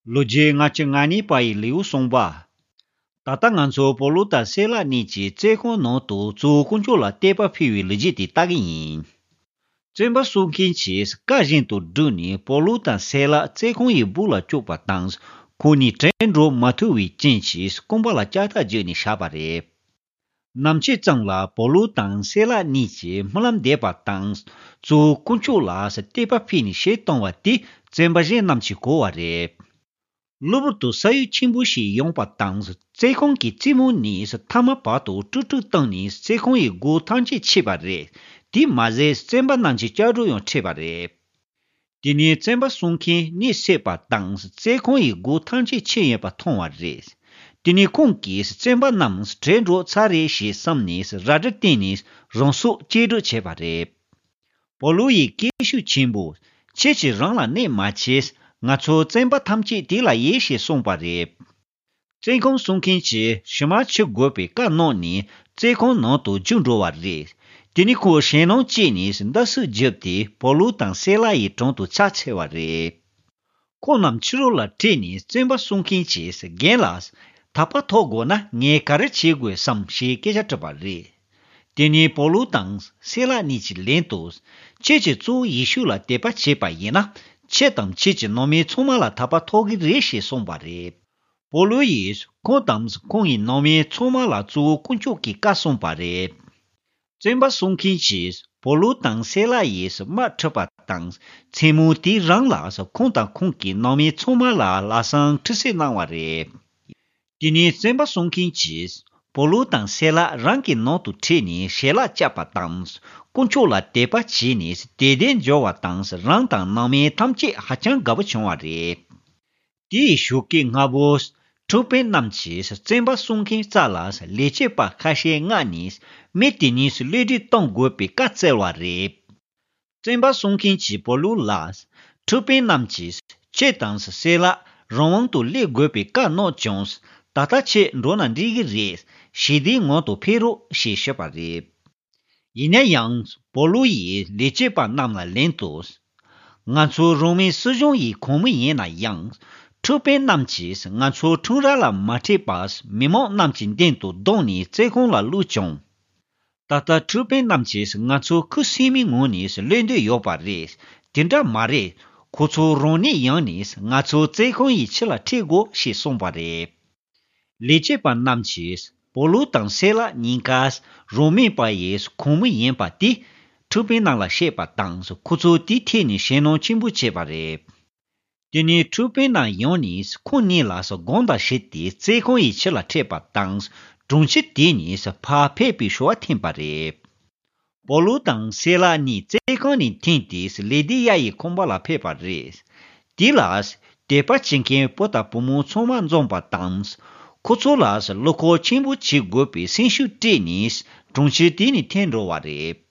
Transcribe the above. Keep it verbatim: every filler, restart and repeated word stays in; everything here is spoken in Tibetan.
ལོ་རྒྱུས་ལྔ་བཅུ་ང་གཉིས་པ་ཡི་ལེའུ་གསུངས་པ། ད་ལྟ་ང་ཚོ་པོ་ལུ་དང་སེ་ལ་གཉིས་ཀྱིས་བཙོན་ཁང་ནང་དུ་གཙོ་བོ་དཀོན་མཆོག་ལ་དད་པ་འཕེལ་བའི་ལོ་རྒྱུས་དེ་ལྟ་གི་ཡིན། བཙོན་པ་སྲུང་མཁན་གྱིས་བཀའ་བཞིན་དུ་བསྒྲུབས་ནས་པོ་ལུ་དང་སེ་ལ་བཙོན་ཁང་ཡི་སྦུག་ལ་བཅུག་པ་དང་། ཁོང་གཉིས་བྲོས་འགྲོ་མ་ཐུབ་པའི་རྐྱེན་གྱིས་རྐང་པ་ལ་ལྕགས་ཐག་བརྒྱུས་ནས་བཞག་པ་རེད། ནམ་ཕྱེད་ཙམ་ལ་པོ་ལུ་དང་སེ་ལ་གཉིས་ཀྱིས་སྨོན་ལམ་འདེབས་པ་དང་། གཙོ་བོ་དཀོན་མཆོག་ལ་དད་པ་འཕེལ་ནས་ཞལ་གཏོང་བ་དེ་བཙོན་པ་གཞན་རྣམས་ཀྱིས་གོ་བ་རེད། གློ་བུར་དུ་ས་ཡོམ་ཆེན་པོ་ཞིག་ཡོང་བ་དང་། བཙོན་ཁང་གི་རྩིག་མོ་ནས་མཐའ་མ་བར་དུ་དཀྲུག་དཀྲུག་བཏང་ནས་བཙོན་ཁང་ཡི་སྒོ་ཐམས་ཅད་ཕྱེས་པ་རེད། དེ་མ་ཟད་བཙོན་པ་རྣམས་ཀྱི་ལྕགས་སྒྲོག་ཡང་ཕྱེས་པ་རེད། དེ་ནས་བཙོན་པ་སྲུང་མཁན་གཉིད་སད་པ་དང་། བཙོན་ཁང་ཡི་སྒོ་ཐམས་ཅད་ཕྱེ་ཡོད་པ་མཐོང་བ་རེད། དེ་ནས་ཁོང་གིས་བཙོན་པ་རྣམས་བྲོས་འགྲོ་ཚར་རེད་ཞེས་བསམ་ནས་རལ་གྲི་བཏོན་ནས་རང་སྲོག་གཅེས་སྒྲིག་བྱས་པ་རེད། པོ་ལུ་ཡིས་སྐད་ཤུགས་ཆེན་པོས། ཁྱེད་ཀྱིས་རང་ལ་གནོད་མ་བྱེད། ང་ཚོ་བཙོན་པ་ཐམས་ཅད་དེ་ལ་ཡོད་ཞེས་གསུངས་པ་རེད། བཙོན་ཁང་སྲུང་མཁན་གྱིས་ཞུ་མར་འཁྱེར་དགོས་པའི་བཀའ་གནང་ནས་བཙོན་ཁང་ནང་དུ་རྒྱུགས་འགྲོ་བ་རེད། དེ་ནས་ཁོ་ཞེད་སྣང་སྐྱེས་ནས་འདར་སིག་བརྒྱབ་སྟེ་པོ་ལུ་དང་སེ་ལ་ཡི་དྲུང་དུ་ཕྱག་འཚལ་བ་རེད། ཁོང་རྣམས་ཕྱི་རོལ་ལ་ཁྲིད་ནས་བཙོན་པ་སྲུང་མཁན་གྱིས་རྒན་ལགས། ཐར་པ་ཐོབ་དགོས་ན་ངས་ག་རེ་བྱེད་དགོས་སམ་ཞེས་སྐད་ཆ་དྲིས་པ་རེད། དེ་ནས་པོ་ལུ་དང་སེ་ལ་གཉིས་ཀྱིས་ལན་དུ། ཁྱེད་ཀྱིས་གཙོ་བོ་ཡེ་ཤུ་ལ་དད་པ་བྱས་པ་ཡིན་ན། ཁྱེད་དང་ཁྱེད་ཀྱི་ནང་མི་ཚང་མ་ལ་ཐར་པ་ཐོབ་ཀྱི་རེད་ཞེས་གསུངས་པ་རེད། པོ་ལུ་ཡིས་ཁོང་དང་ཁོང་གི་ནང་མི་ཚང་མ་ལ་གཙོ་བོ་དཀོན་མཆོག་གི་བཀའ་གསུངས་པ་རེད། བཙོན་པ་སྲུང་མཁན་གྱིས་པོ་ལུ་དང་སེ་ལ་ཡིས་དམག་ཁྲིད་པ་དང་། མཚན་མོ་དེ་རང་ལ་ཁོང་དང་ཁོང་གི་ནང་མི་ཚང་མ་ལ་ལམ་སང་ཁྲིད་གསོལ་གནང་བ་རེད། དེ་ནས་བཙོན་པ་སྲུང་མཁན་གྱིས་པོ་ལུ་དང་སེ་ལ་རང་གི་ནང་དུ་ཁྲིད་ནས་ཞལ་ལག་བཅག་པ་དང་། དཀོན་མཆོག་ལ་དད་པ་བྱས་ནས་དད་ལྡན་འབྱོར་བ་དང་། རང་དང་ནང་མི་ཐམས་ཅད་ཧ་ཅང་དགའ་པོ་བྱུང་བ་རེད། དེའི་གཞུག་གི་སྔ་པོ། འཁྲུག་དཔོན་རྣམས་ཀྱིས་བཙོན་པ་སྲུང་མཁན་རྩ་ལ་ལས་བྱེད་པ་ཁ་ཤས་མངགས་ནས་མི་དེ་གཉིས་གློད་གྲོལ་གཏོང་དགོས་པའི་བཀའ་བསྩལ་བ་རེད། བཙོན་པ་སྲུང་མཁན་གྱིས་པོ་ལུ་ལ། འཁྲུག་དཔོན་རྣམས་ཀྱིས་ཁྱེད་དང་སེ་ལ་རང་དབང་དུ་སླེབས་དགོས་པའི་བཀའ་གནང་བྱུང་། ད་ལྟ་ཁྱེད་འགྲོ་ན་འགྲིག་གི་རེད། ཞི་བདེའི་ངང་དུ་ཕེབས་རོགས་ཞེས་ཞུས་པ་རེད། ཡིན་ན་ཡང་པོ་ལུ་ཡིས་ལས་བྱེད་པ་རྣམས་ལ་ལན་དུ། ང་ཚོ་རོ་མའི་སྲིད་གཞུང་ཡི་ཁོངས་མི་ཡིན་ན་ཡང་། འཁྲུག་དཔོན་རྣམས་ཀྱིས་ང་ཚོ་ཁྲོམ་ར་ལ་མ་ཁྲིད་པར་མི་མང་རྣམས་ཀྱི་མདུན་དུ་བརྡུངས་ནས་བཙོན་ཁང་ལ་བླུགས་བྱུང་། ད་ལྟ་འཁྲུག་དཔོན་རྣམས་ཀྱིས་ང་ཚོ་ཁུ་སིམ་མེར་ངོས་ནས་གློད་འདོད་ཡོད་པ་རེད། དེ་འདྲ་མ་རེད། ཁོ་ཚོ་རང་ཉིད་ཡིན་ནས་ང་ཚོ་བཙོན་ཁང་ཡི་ཕྱི་ལ་ཁྲིད་དགོས་ཞེས་གསུངས་པ་རེད། ལས་བྱེད་པ་རྣམས་ཀྱིས་པོ་ལུ་དང་སེ་ལ་གཉིས་ཀ་རོ་མའི་པ་ཡི་ཁོངས་མི་ཡིན་པ་དེ་འཁྲུག་དཔོན་རྣམས་ལ་བཤད་པ་དང་། ཁོ་ཚོ་དེའི་ཐད་ནས་ཞེད་སྣང་ཆེན་པོ་བྱས་པ་རེད། དེ་ནས་འཁྲུག་དཔོན་རྣམས་ཡོང་ནས་ཁོང་གཉིས་ལ་དགོངས་དག་ཞུས་ཏེ་བཙོན་ཁང་ཡི་ཕྱི་ལ་ཁྲིད་པ་དང་། དྲུང་ཆེ་དེ་ནས་ཕར་ཕེབས་པའི་ཞུ་བ་འཐེན་པ་རེད། པོ་ལུ་དང་སེ་ལ་གཉིས་བཙོན་ཁང་ནས་འཐེན་ཏེ་ལེ་དི་ཡ་ཡི་ཁང་པ་ལ་ཕེབས་པ་རེད། དེ་ལ་དད་པ་བྱེད་མཁན་བུ་དང་བུ་མོ་ཚང་མ་འཛོམས་པ་དང་། ཁོ་ཚོ་ལ་བློ་ཁོག་ཆེན་པོ་བྱེད་དགོས་པའི་སེམས་ཤུགས་སྤྲད་ནས་དྲུང་ཆེ་དེ་ནས་འཐེན་འགྲོ་བ་རེད།